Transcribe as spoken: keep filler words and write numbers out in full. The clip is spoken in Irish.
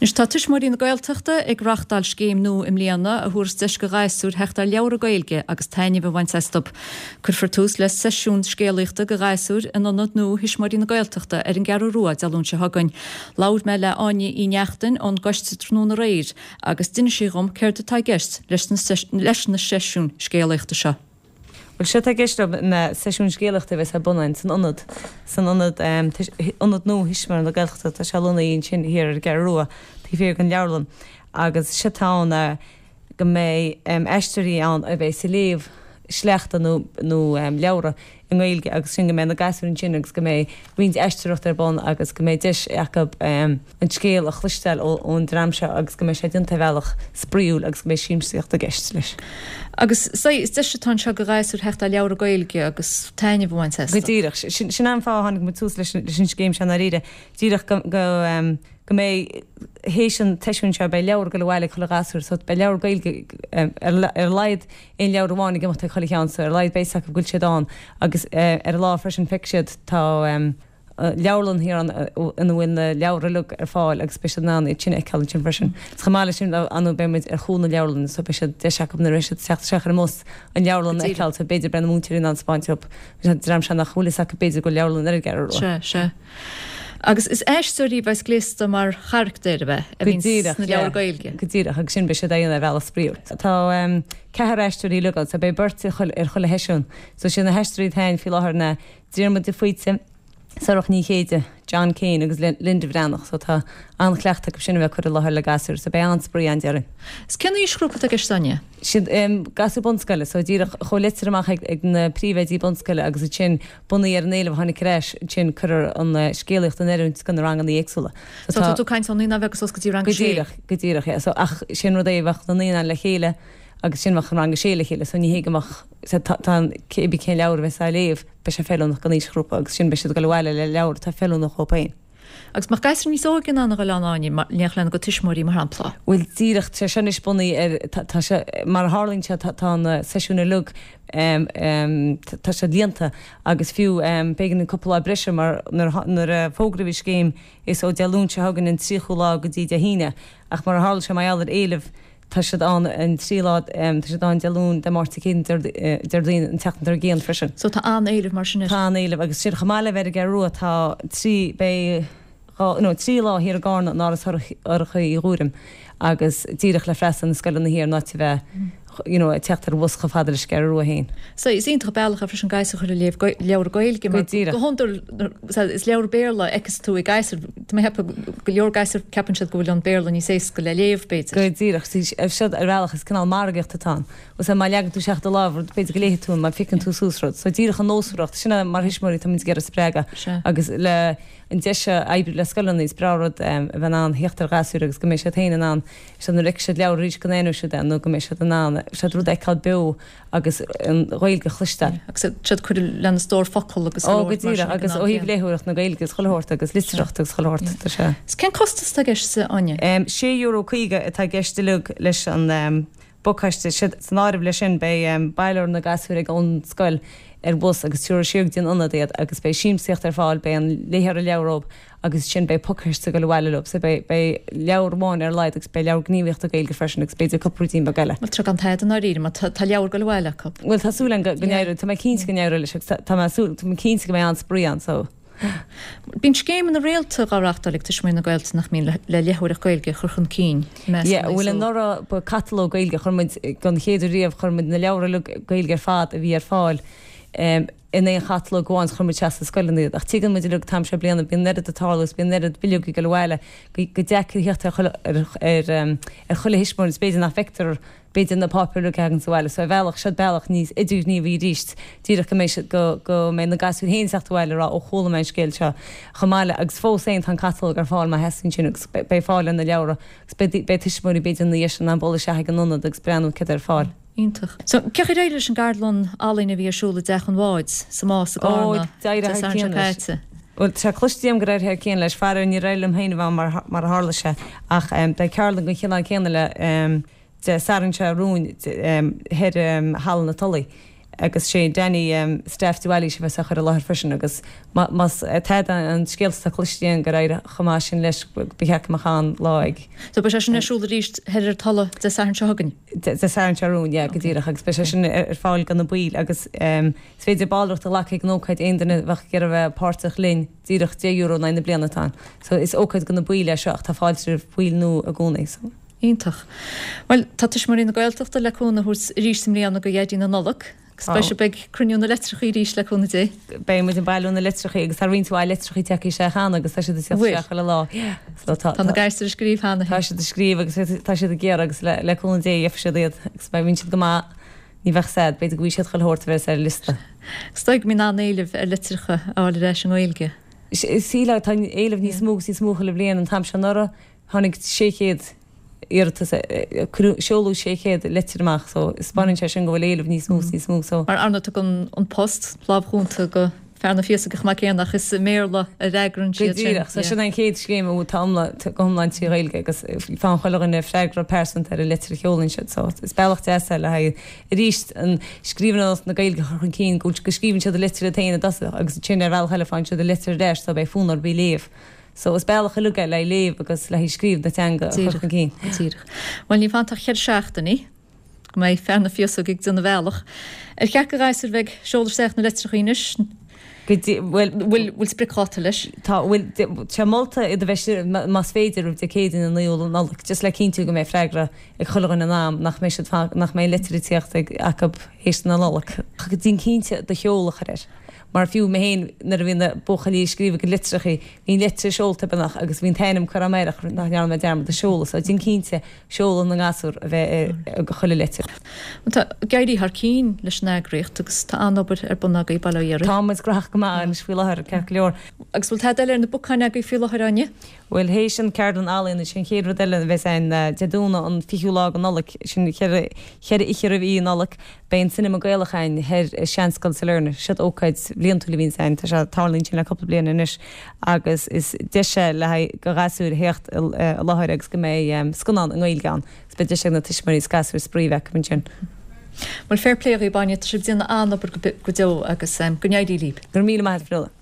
Anois tá Tuismitheoirí na Gaeltachta ag reáchtáil scéim nua i mbliana a thabharfas deis do ghasúir theacht ar leabhra Gaeilge agus taitneamh a bhaint astu. Cuirfear tús le seisiún scéalaíochta do ghasúir in ionad nua Thuismitheoirí na Gaeltachta ar an gCeathrú Rua Dé Luain seo chugainn. Labhair mé le Áine Uí Neachtain ón gcoiste tráthnóna aréir agus d'inis sí dhom céard atá i gceist leis na seisiúin scéalaíochta seo. Bhuel séard atá i gceist leo ná seisiún scéalaíochta a bheas ar bun againn san ionad, san ionad, Ionad Nua Thuismitheoirí na Gaeltachta, tá sé lonnaithe ansin thiar ar an gCeathrú Rua, taobh thiar den leabharlann. Agus séard atá ann ná go mbeidh aisteoirí ann a bheas ag léamh sleachta nó nó leabhra i nGaeilge agus sin go mbeidh na gasúir ansin agus go mbeidh roinnt aisteoireachta ar bun agus go mbeidh deis acu an scéal a chloisteáil ón dream seo agus go mbeidh sé déanta ar bhealach spraíúil agus go mbeidh siamsaíocht i gceist leis. Agus is deis atá anseo do ghasúir theacht ar leabhra Gaeilge agus taitneamh a bhaint astu. Go díreach. Sin an fáth a tháinig muid suas leis an scéim seo i ndáiríre. Díreach go go mbeidh, théis an tseisiúin seo, beidh leabhar ag dul abhaile ag chuile ghasúr so beidh leabhar Gaeilge ar a laghad aon leabhar amháin ag imeacht ag chuile cheann so ar a laghad beidh 'fhios acu go bhfuil siad ann agus ar an lá freisin feicfidh siad tá leabharlann thiar ann ina bhfuil na leabhair uilig ar fáil agus beidh siad in ann iad sin a fheiceáil ansin freisin. Is chomh maith leis sin ar ndóigh beidh muid ar chúl na leabharlainne so beidh siad deis acu nuair a bheidh siad ag teacht isteach ar an mbus an leabharlann a fheiceáil so b'fhéidir beidh na múinteoirí in ann 'spáint dóibh an dream seo nach bhfuil 'fhios acu b'fhéidir go bhfuil leabharlann ar an gCeathrú Rua. Sea, sea. Agus is aisteoirí a bheas gléasta mar charachtair a bheith a Go bhíonn díreach, sna yeah. leabhair Gaeilge. Go díreach, agus sin beidh siad á dhéanamh ar bhealach spraíúil. Tá ceathrar aisteoirí uilig ann, so beidh beirt ar chuile ar chuile sheisiún. So siad na haisteoirí atá ann faoi láthair ná Diarmuid de Faoite, Sorcha Ní Chéide, John Kane agus Linda Bhreathnach. So tá an-chleachtadh acu sin a bheith ag cur i láthair le gasúir, so beidh an-spraoi ann déarfainn. Is cén aoisghrúpa atá i gceist Áine? Siad gasúir bunscoile, so díreach chuaigh litir amach ag ag na príomhoidí bunscoile agus ansin bunaithe ar an éileamh a tháinig ar ais, ansin cuireadh an scéalaíocht in oiriúint do na ranganna éagsúla. So tá tú ag caint ó naíonáin bheaga suas go dtí rang a Go sé. díreach, go díreach, yeah. So ach sin rud é bheadh na naíonáin le chéile agus ansin bheadh an rang a sé le chéile, so ní hé go mbeadh, so tá tá an cébí cén leabhar a bheas á léamh, beidh sé feiliúnach don aoisghrúpa agus ansin beidh siad ag dul abhaile le leabhar atá feiliúnach dhóibh féin. Agus mbeadh gasúir níos óige in ann a dhul ann Áine, in éineacht lena gcuid tuismitheoirí mar shampla? Bhuel díreach, tá sé seo anois bunaithe ar, tá tá sé, mar a tharlaíonn sé tá tá na seisiúin uilig tá siad líonta agus fiú b'éigean dúinn cúpla lá breise mar nuair a nuair a fógraíodh an scéim is ó Dé Luain seo chugainn an tríochú lá go dtí Dé hAoine ach mar a tharla sé mar gheall ar éileamh tá siad ann an trí lá, tá siad ann Dé Luain, Dé Máirt, Dé Céadaoin, Déardaoin, an tseachtain dár gcionn freisin. So tá an-éileamh mar sin air. Tá an-éileamh agus sin chomh maith le bheith ar an gCeathrú Rua tá trí, beidh dhá, nó trí lá thiar i gCarna in Áras Shorcha Uí Ghuairim agus díreach le freastal ar na scoileanna thiar in áit a bheith you know ag teacht ar bhus chomh fada leis an gCeathrú Rua féin. So is iontach bealach é freisin gasúir a chur ag léamh leabhar Gaeilge mar go hiondúil is leabhar Béarla a fheiceas tú ag gasúir, tá mé ag ceapadh go leor gasúr ceapann siad go bhfuil an Béarla níos éasca le léamh b'fhéidir. Go díreach, seo ar bhealach is cineál margaíocht atá ann. Agus má leagann tú isteach do lámh rud b'fhéidir go léifidh tú má phiocann tú suas rud. So díreach an nósmhaireacht, sin é mar thuismitheoirí tá muid ag iarraidh spreagadh agus le an deis seo oibriú le scoileanna is breá rud a bheith in ann theacht ar ghasúir agus go mbeidh siad féin in ann siad nuair a fheicfidh siad leabhar arís go n-aithneoidh siad é nó go mbeidh siad in ann siad rud a fheiceáil beo agus an Ghaeilge a chloisteáil. Agus siad cur lena stór focal agus Ó go díreach agus ó thaobh léitheoireacht na Gaeilge agus chuile shórt agus litearthacht agus chuile shórt tá sé. Is cén costas atá i gceist Áine? Sé euro caoga atá i gceist uilig leis an bpacáiste. San áireamh leis sin beidh baileofar na gasúir ag ón scoil ar bhus agus tabharfar siar go dtí an ionad iad agus beidh siamsaíocht ar fáil, beidh an léitheoir leabhar dhóibh agus ansin beidh pacáiste ag dul abhaile leo. So beidh beidh leabhar amháin ar a laghad agus beidh leabhar gníomhaíochta Gaeilge freisin agus b'fhéidir cúpla ruidín beag eile. Bhuel tá gan tada i ndáiríre mar tá tá leabhar ag dul abhaile acu. Bhuel tá súil agam go go n-éireoidh, tá mé cinnte go n-éireoidh leis agus tá tá mé súil, tá mé cinnte go mbeidh an-spraoi ann so. Bíonn scéimeanna rialta á reáchtáil ag Tuismitheoirí na Gaeltachta nach mbíonn le léitheoireacht Gaeilge a chur chun cinn i measc Yeah, na bhuel n-aos óg. anuraidh ba catalóg Gaeilge a chuir muid don chéad uair riamh chuir muid na leabhair uilig Gaeilge ar fad a bhí ar fáil in aon chatalóg amháin is chuir muid isteach sna scoileanna iad. Ach tuigeann muid uilig an t-am seo bliana bíonn an oiread ag tarlú is bíonn an oiread bileogaí ag dul abhaile go gur deacair theacht ar chuile ar ar ar chuile thuismitheoir is b'fhéidir nach bhfeictear b'fhéidir na páipéir uilig a thagann sa bhaile so ar bhealach seo bealach níos idirghníomhaí arís díreach go mbeidh siad go go mbeidh na gasúir féin ag teacht abhaile ag rá ó chuala mé an scéal seo chomh maith le agus fós féin tá an catalóg ar fáil má theastaíonn sin agus beidh fáil ar na leabhra agus beidh beidh tuismitheoirí b'fhéidir ina dhiaidh sin in ann bualadh isteach ag an ionad agus breathnú céard ar fáil. Iontach. So cén chaoi ar éirigh leis an gceardlann ealaíne a bhí ar siúl i dTeach an Bháid sa Más i Ó gCarna d'éirigh Dé thar Sathairn seo cionn leis. caite? Bhuel, tá cloiste agam gur éirigh thar cionn leis. Faraor, níor éirigh liom féin a bheith ann mar mar a tharla sé ach beidh ceardlann den chineál céanna le Dé Sathairn seo romhainn thoir i Halla na Tulaí Agus sé Danny Staff de Bhailís a bheas á chur i láthair freisin agus más tada an scéalta atá cloiste againn gur éirigh chomh maith sin leis ba cheart go mbeadh an-lá ag. So beidh sé sin ar siúl arís thoir ar Tulla Dé Sathairn seo chugainn? Dé Sathairn seo romhainn, yeah, go díreach agus beidh sé sin ar fáil do na baill agus is féidir ballraíocht a ghlacadh ag an ócáid aon duine a bheadh ag iarraidh a bheith páirteach linn díreach deich euro in aghaidh na bliana atá ann. So is ócáid do na baill é seo ach tá fáilte roimh bhaill nua i gcónaí. So. Iontach. Bhuel, tá Tuismitheoirí na Gaeltachta le cúnamh a thabhairt arís i mbliana do Dhaidí na Nollag agus beidh sibh ag cruinniú na litreacha arís le cúnamh Dé. Beidh muid ag bailiú na litreacha agus tá roinnt mhaith litreacha tagtha isteach cheana agus tá siad ag teacht isteach chuile lá. So tá Tá na gasúir ag scríobh cheana. Tá siad ag scríobh agus tá siad ag iarraidh agus le cúnamh Dé gheobhaidh siad iad agus má bhíonn siad go maith ní bheadh sad, b'fhéidir go bhfaighidh siad chuile shórt a bheas ar an liosta. Is dóigh go mbíonn an-éileamh ar litreacha a fháil ar ais i nGaeilge. Sílim, tá an éileamh níos mó agus níos mó chuile bhliain an t-am seo anuraidh tháinig sé chéad iarratas, cuireadh, seoladh sé chéad litir amach so 'spáineann sé sin go bhfuil éileamh níos mó is níos mó so. Mar ar ndóigh tugann An Post lámh chúnta go fear na Féasóige chomh maith céanna ach is i mBéarla a fhreagraíonn siad sin. Go díreach, so sin an chéad scéim a bhfuil tá iomlán, go hiomlán trí Ghaeilge agus faigheann chuile dhuine freagra pearsanta ar an litir a sheolann siad so is bealach deas é le haghaidh arís an scríbhneoireacht na Gaeilge a chur chun cinn go go scríobhann siad an litir iad féin i dtosach agus ansin ar bhealach eile faigheann siad an litir ar ais so beidh fonn orthu í a léamh. So is bealach uilig é le léamh agus le scríobh na teanga a chur chun cinn. Díreach. Bhuel ní fanta ach ceithre seachtainí go mbeidh fear na Féasóige ag déanamh a bhealach. Ar cheart do ghasúir bheith ag seoladh isteach na litreacha anois? Go dtí, bhuel, bhfuil, bhfuil spriocdháta leis? Tá, bhuel, tá molta iad a bheith, más féidir, roimh Dé Céadaoin an naoú Nollaig, just le cinntiú go mbeidh freagra ag chuile dhuine in am, nach mbeidh siad, nach mbeidh litir ag tíocht ag acu théis na Nollag. Déan cinnte do sheoladh a chur air. Mar fiú mé féin, nuair a bhí na buachaillí ag scríobh a gcuid litreacha, bhí an litir seolta beagnach agus bhí an t-ainm curtha agam air ach nach ndearna mé dearmad an seoladh. So déan cinnte seoladh na ngasúr a bheith ar chuile litir. Tá ag éirí thar cinn leis an eagraíocht agus tá an-obair ar bun agaibh, bail ó Dhia oraibh. Tá muid gnóthach go maith anois faoi láthair, ceart go leor. Agus bhfuil tada eile ar na bacáin agaibh faoi láthair, Áine? Bhuel, théis an ceardlann ealaíon, is é an chéad rud eile a bheas ann Dé Domhnaigh an fichiú lá de Nollaig, sin ceithre oíche roimh Oíche Nollag, beidh an Cinema Gaelach ann thoir i Seanscoil Sailearna. Siod ócáid bhliantúil a bhíonns ann, tá sé, tarlaíonn sin le cúpla bliain anois agus is deis é le haghaidh do ghasúir a theacht i láthair agus go mbeidh scannán i nGaeilge ann agus beidh deis ag na tuismitheoirí is gasúir spraoi a bheith acu ansin. Bhuel, fair play dhaoibh, Áine, tá sibh ag déanamh an-obair go deo agus go n-éirí libh. Go raibh míle maith agat, Fionnuala.